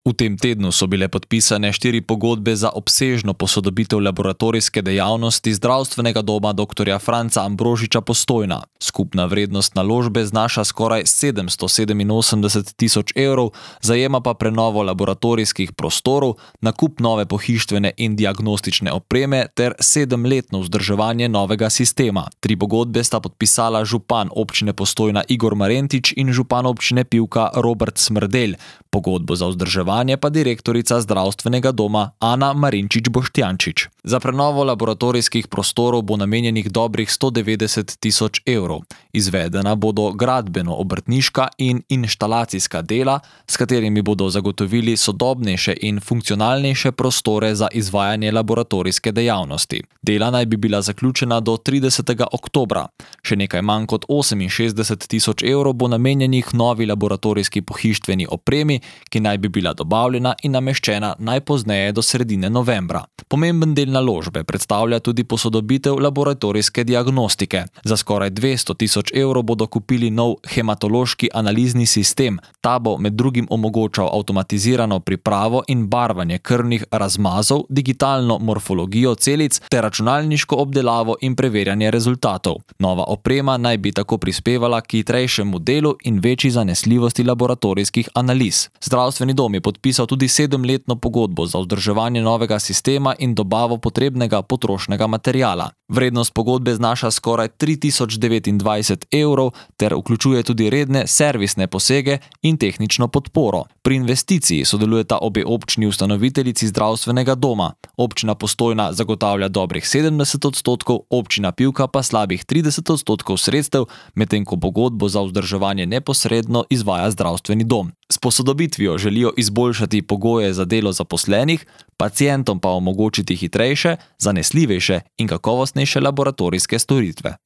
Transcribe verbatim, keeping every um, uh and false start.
V tem tednu so bile podpisane štiri pogodbe za obsežno posodobitev laboratorijske dejavnosti Zdravstvenega doma doktorja Franca Ambrožiča Postojna. Skupna vrednost naložbe znaša skoraj sedemsto sedeminosemdeset tisoč evrov, zajema pa prenovo laboratorijskih prostorov, nakup nove pohištvene in diagnostične opreme ter sedemletno vzdrževanje novega sistema. Tri pogodbe sta podpisala župan občine Postojna Igor Marentič in župan občine Pivka Robert Smrdelj. Pogodbo za vzdrževanje pa direktorica Zdravstvenega doma Ana Marinčič Boštjančič. Za prenovo laboratorijskih prostorov bo namenjenih dobrih sto devetdeset tisoč evrov. Izvedena bodo gradbeno-obrtniška in inštalacijska dela, s katerimi bodo zagotovili sodobnejše in funkcionalnejše prostore za izvajanje laboratorijske dejavnosti. Dela naj bi bila zaključena do tridesetega oktobra. Še nekaj manj kot oseminšestdeset tisoč evrov bo namenjenih novi laboratorijski pohištveni opremi, ki naj bi bila dobavljena in nameščena najpozneje do sredine novembra. Pomemben del naložbe predstavlja tudi posodobitev laboratorijske diagnostike. Za skoraj dvesto tisoč evrov bodo kupili nov hematološki analizni sistem. Ta bo med drugim omogočal avtomatizirano pripravo in barvanje krvnih razmazov, digitalno morfologijo celic ter računalniško obdelavo in preverjanje rezultatov. Nova oprema naj bi tako prispevala k hitrejšemu delu in večji zanesljivosti laboratorijskih analiz. Zdravstveni dom je podpisal tudi sedemletno pogodbo za vzdrževanje novega sistema in dobavo potrebnega potrošnega materiala. Vrednost pogodbe znaša skoraj tri tisoč devetindvajset evrov ter vključuje tudi redne servisne posege in tehnično podporo. Pri investiciji sodelujeta obe občini ustanoviteljici Zdravstvenega doma. Občina Postojna zagotavlja dobrih sedemdeset odstotkov, občina Pivka pa slabih trideset odstotkov sredstev, medtem ko pogodbo za vzdrževanje neposredno izvaja Zdravstveni dom. S posodobitvijo želijo izboljšati pogoje za delo zaposlenih, pacientom pa omogočiti hitrejše, zanesljivejše in kakovostnejše laboratorijske storitve.